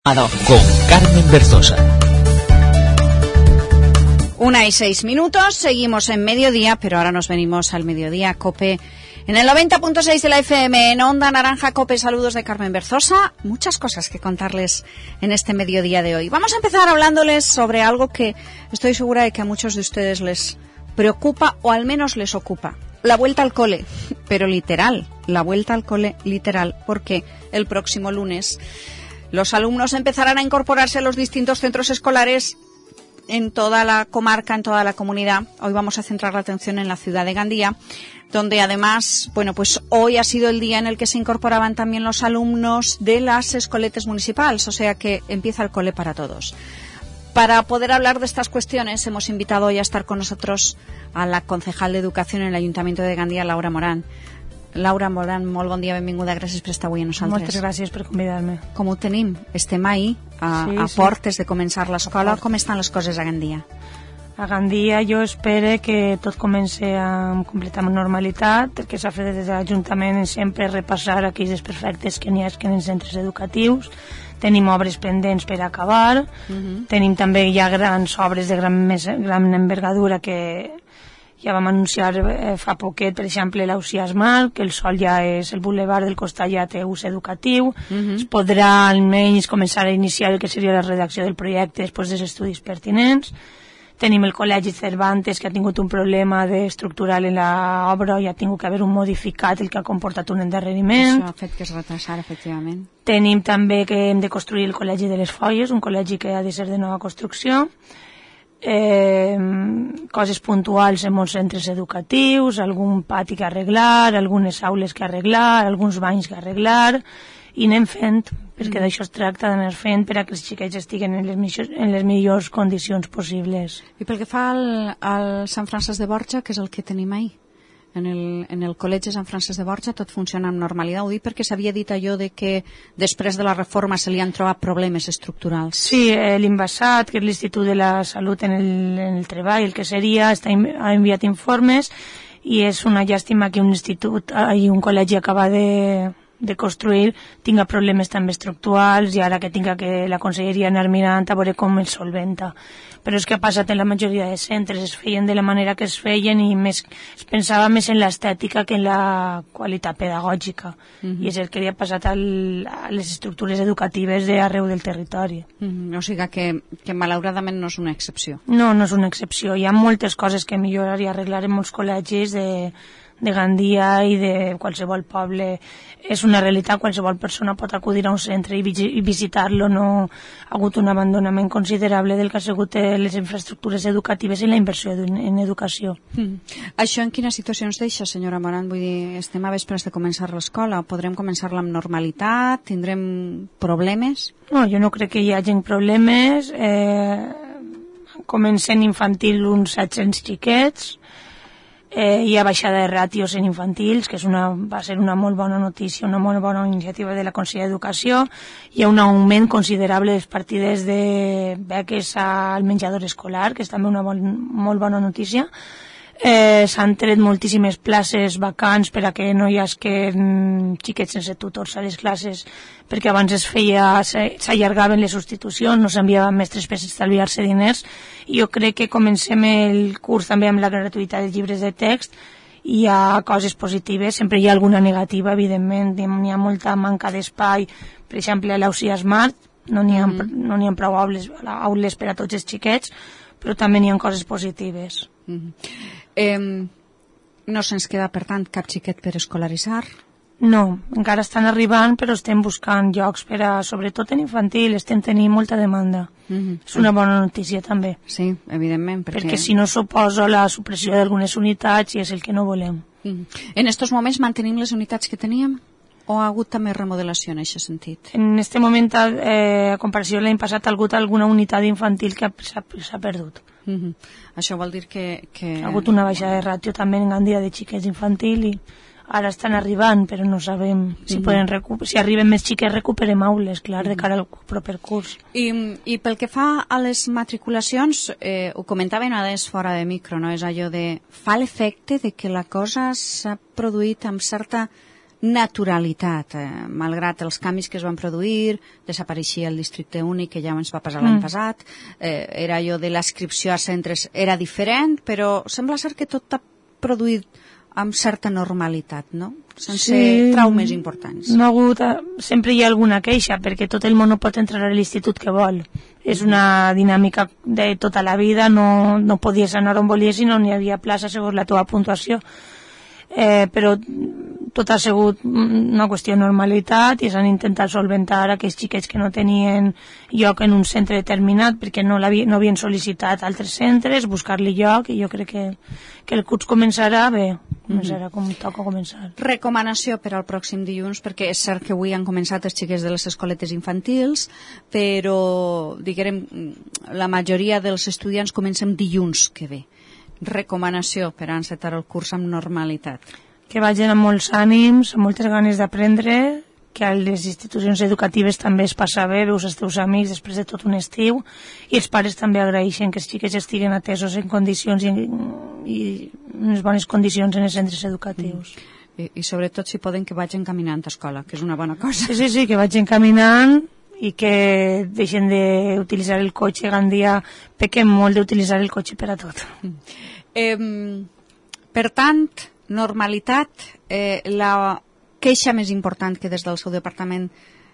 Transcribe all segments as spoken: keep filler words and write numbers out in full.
Con Carmen Berzosa. Una y seis minutos, seguimos en mediodía, pero ahora nos venimos al mediodía COPE en el noventa punto seis de la F M, en Onda Naranja COPE. Saludos de Carmen Berzosa. Muchas cosas que contarles en este mediodía de hoy. Vamos a empezar hablándoles sobre algo que estoy segura de que a muchos de ustedes les preocupa o al menos les ocupa. La vuelta al cole, pero literal, la vuelta al cole literal, porque el próximo lunes los alumnos empezarán a incorporarse a los distintos centros escolares en toda la comarca, en toda la comunidad. Hoy vamos a centrar la atención en la ciudad de Gandía, donde además, bueno, pues hoy ha sido el día en el que se incorporaban también los alumnos de las escoletes municipales, o sea que empieza el cole para todos. Para poder hablar de estas cuestiones hemos invitado hoy a estar con nosotros a la concejal de Educación en el Ayuntamiento de Gandía, Laura Morán. Laura Morán, molt bon dia, benvinguda, gràcies per estar avui amb nosaltres. Moltes gràcies per convidar-me. Com ho tenim? Estem ahir a, sí, a sí. portes de començar l'escola. Com estan les coses a Gandia? A Gandia jo espero que tot comenci amb completa normalitat. El que s'ha fet des de l'Ajuntament és sempre repassar aquells desperfectes que n'hi ha en els centres educatius. Tenim obres pendents per acabar. Uh-huh. Tenim també ja grans obres de gran, més, gran envergadura que ja vam anunciar eh, fa poquet, per exemple, l'Ausiàs Mar, que el sol ja és, el bulevard del costat ja té ús educatiu. Uh-huh. Es podrà almenys començar a iniciar el que seria la redacció del projecte després dels estudis pertinents. Tenim el Col·legi Cervantes, que ha tingut un problema estructural en l'obra i ha tingut que haver un modificat, el que ha comportat un endarreriment. Això ha fet que es retrasara, efectivament. Tenim també que hem de construir el Col·legi de les Folles, un col·legi que ha de ser de nova construcció. Eh, coses puntuals en molts centres educatius, algun pati que arreglar, algunes aules que arreglar, alguns banys que arreglar, i anem fent, perquè mm. d'això es tracta d'anar fent per a que els xiquets estiguen en les, millors, en les millors condicions possibles. I pel que fa al, al Sant Francesc de Borja, que és el que tenim ahir? En el, en el Col·legi Sant Francesc de Borja tot funciona amb normalitat. Ho dic perquè s'havia dit allò de que després de la reforma se li han trobat problemes estructurals. Sí, eh, l'Invasat, que és l'Institut de la Salut en el, en el Treball, el que seria, està, ha enviat informes i és una llàstima que un institut i un col·legi acaba de, de construir tinga problemes també estructurals i ara que tinga que la conselleria anar mirant a veure com el solventa. Però és que ha passat en la majoria de centres, es feien de la manera que es feien i més, es pensava més en l'estètica que en la qualitat pedagògica. Uh-huh. I és el que li ha passat al, a les estructures educatives d'arreu del territori. Uh-huh. O sigui que, que malauradament no és una excepció. No, no és una excepció. Hi ha moltes coses que millorar i arreglar en molts col·legis de, de Gandia i de qualsevol poble. És una realitat, qualsevol persona pot acudir a un centre i, i visitar-lo. No ha hagut un abandonament considerable del que ha sigut les infraestructures educatives i la inversió en educació. Mm. Això en quina situació ens deixa, senyora Morán? Vull dir, estem a vespres de començar l'escola, podrem començar-la amb normalitat? Tindrem problemes? No, jo no crec que hi hagi problemes. Eh, comencen infantil uns set-cents xiquets. Eh, hi ha baixada de ràtios en infantils, que és una, va ser una molt bona notícia, una molt bona iniciativa de la Conselleria d'Educació. Hi ha un augment considerable de les partides de beques al menjador escolar, que és també una bon, molt bona notícia. Eh, s'han tret moltíssimes places vacants per a que no hi hagi xiquets sense tutors a les classes, perquè abans es feia, s'allargaven les substitucions, no s'enviaven mestres per estalviar-se diners. I jo crec que comencem el curs també amb la gratuïtat dels llibres de text. Hi ha coses positives, sempre hi ha alguna negativa, evidentment, n'hi ha molta manca d'espai, per exemple a l'Ausiàs Mar no n'hi ha, mm-hmm. no n'hi ha prou aules, aules per a tots els xiquets, però també n'hi ha coses positives. Mm-hmm. Eh, no se'ns queda, per tant, cap xiquet per escolaritzar? No, encara estan arribant, però estem buscant llocs per a, sobretot en infantil, estem tenint molta demanda. Mm-hmm. És una bona notícia també. Sí, evidentment. Perquè, perquè si no suposa la supressió d'algunes unitats i és el que no volem. Mm-hmm. En estos moments mantenim les unitats que teníem? O ha hagut també remodelació en aquest sentit? En aquest moment, eh, a comparació de l'any passat, ha hagut alguna unitat infantil que s'ha perdut. Mm-hmm. Això vol dir que, que... Ha hagut una baixada de ràtio també en Gandia de xiquets infantil i ara estan arribant, però no sabem si, mm-hmm. poden recu- si arriben més xiques recuperem aules, clar, de cara al proper curs. I, i pel que fa a les matriculacions, eh, ho comentaven a des fora de micro, no? És allò de... Fa l'efecte de que la cosa s'ha produït amb certa naturalitat, eh, malgrat els canvis que es van produir, desapareixia el districte únic, que ja ens va passar l'any mm. passat, eh, era allò de l'adscripció a centres, era diferent, però sembla ser que tot ha produït amb certa normalitat, no? Sense sí, traumes importants. No ha hagut, sempre hi ha alguna queixa, perquè tot el món no pot entrar a l'institut que vol. És una dinàmica de tota la vida, no, no podies anar on volies i no n'hi havia plaça segons la teva puntuació. Eh, però tot ha sigut una qüestió de normalitat i s'han intentat solventar aquells xiquets que no tenien lloc en un centre determinat perquè no, no havien sol·licitat altres centres, buscar-li lloc, i jo crec que, que el curs començarà bé, començarà com toca començar. Recomanació per al pròxim dilluns, perquè és cert que avui han començat els xiquets de les escoletes infantils, però diguem, la majoria dels estudiants comencen dilluns que ve. Recomanació per encetar el curs amb normalitat. Que vagin amb molts ànims, amb moltes ganes d'aprendre, que a les institucions educatives també es passa bé, veus els teus amics després de tot un estiu, i els pares també agraeixen que els xiquets estiguen atesos en condicions i, i en unes bones condicions en els centres educatius. Mm. I, I sobretot si poden que vagin caminant a escola, que és una bona cosa. Sí, sí, sí, que vagin caminant i que deixen d'utilitzar el cotxe. Gran dia pequem molt d'utilitzar el cotxe per a tot. Eh, per tant, normalitat, eh, la queixa més important que des del seu departament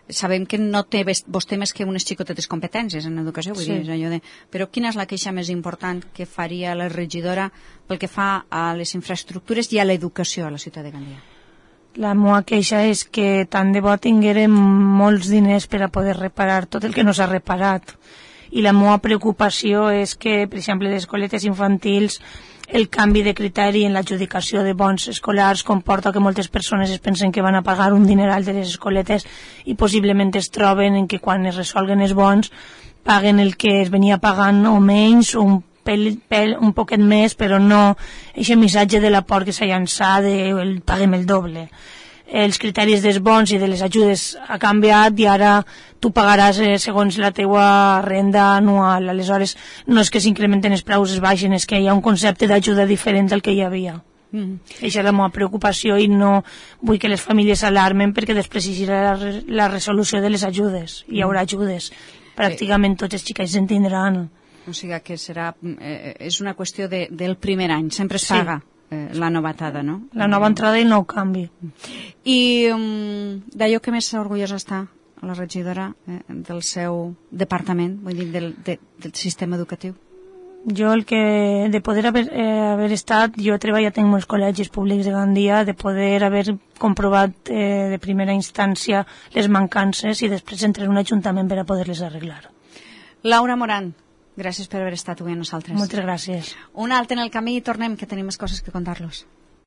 sabem que no té vostè més que unes xicotetes competències en educació, vull sí. dir, allò de... però quina és la queixa més important que faria la regidora pel que fa a les infraestructures i a l'educació a la ciutat de Gandia? La meva queixa és que tant de bo tinguérem molts diners per a poder reparar tot el que no s'ha reparat. I la meva preocupació és que, per exemple, les escoletes infantils, el canvi de criteri en l'adjudicació de bons escolars comporta que moltes persones es pensen que van a pagar un dineral de les escoletes i possiblement es troben en que quan es resolguen els bons paguen el que es venia pagant o menys o un Pel, pel, un poquet més, però no aquest missatge de la por que s'ha llançat de el, paguem el doble. Els criteris dels bons i de les ajudes ha canviat i ara tu pagaràs eh, segons la teua renda anual. Aleshores, no és que s'incrementen els preus, es baixen, és que hi ha un concepte d'ajuda diferent del que hi havia. Mm. Això és la meva preocupació i no vull que les famílies s'alarmen perquè després hi serà la, la resolució de les ajudes. Hi haurà ajudes. Pràcticament tots els xiquets en tindran. O sigui que serà, eh, és una qüestió de, del primer any, sempre es paga sí. eh, la novatada, no? La nova entrada i nou canvi. I um, d'allò que més orgullosa està la regidora eh, del seu departament, vull dir, del, de, del sistema educatiu? Jo el que, de poder haver, eh, haver estat, jo he treballat en molts col·legis públics de Gandia, de poder haver comprovat eh, de primera instància les mancances i després entrar en un ajuntament per a poder-les arreglar. Laura Moran, gràcies per haver estat avui amb nosaltres. Moltes gràcies. Un altre en el camí i tornem, que tenim més coses que contar-los.